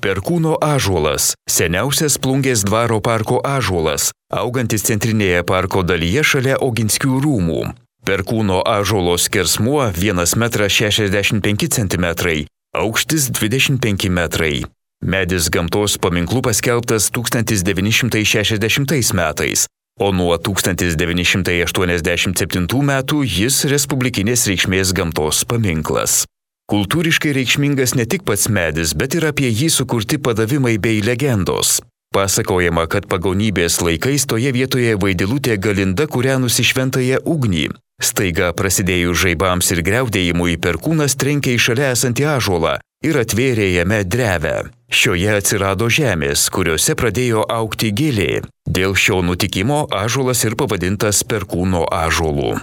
Perkūno ąžuolas – seniausias Plungės dvaro parko ąžuolas, augantis centrinėje parko dalyje šalia Oginskių rūmų. Perkūno ąžuolo skersmuo 1,65 m, aukštis 25 m. Medis gamtos paminklu paskelbtas 1960 metais, o nuo 1987 metų jis respublikinės reikšmės gamtos paminklas. Kultūriškai reikšmingas ne tik pats medis, bet ir apie jį sukurti padavimai bei legendos. Pasakojama, kad pagonybės laikais toje vietoje vaidilutė Galinda kūrenusi šventąją ugnį. Staiga prasidėjus žaibams ir griaudėjimui perkūnas trenkė į šalia esantį ąžuolą ir atvėrė jame drevę. Šioje atsirado žemės, kuriuose pradėjo augti gėlė. Dėl šio nutikimo ąžuolas ir pavadintas Perkūno ąžuolu.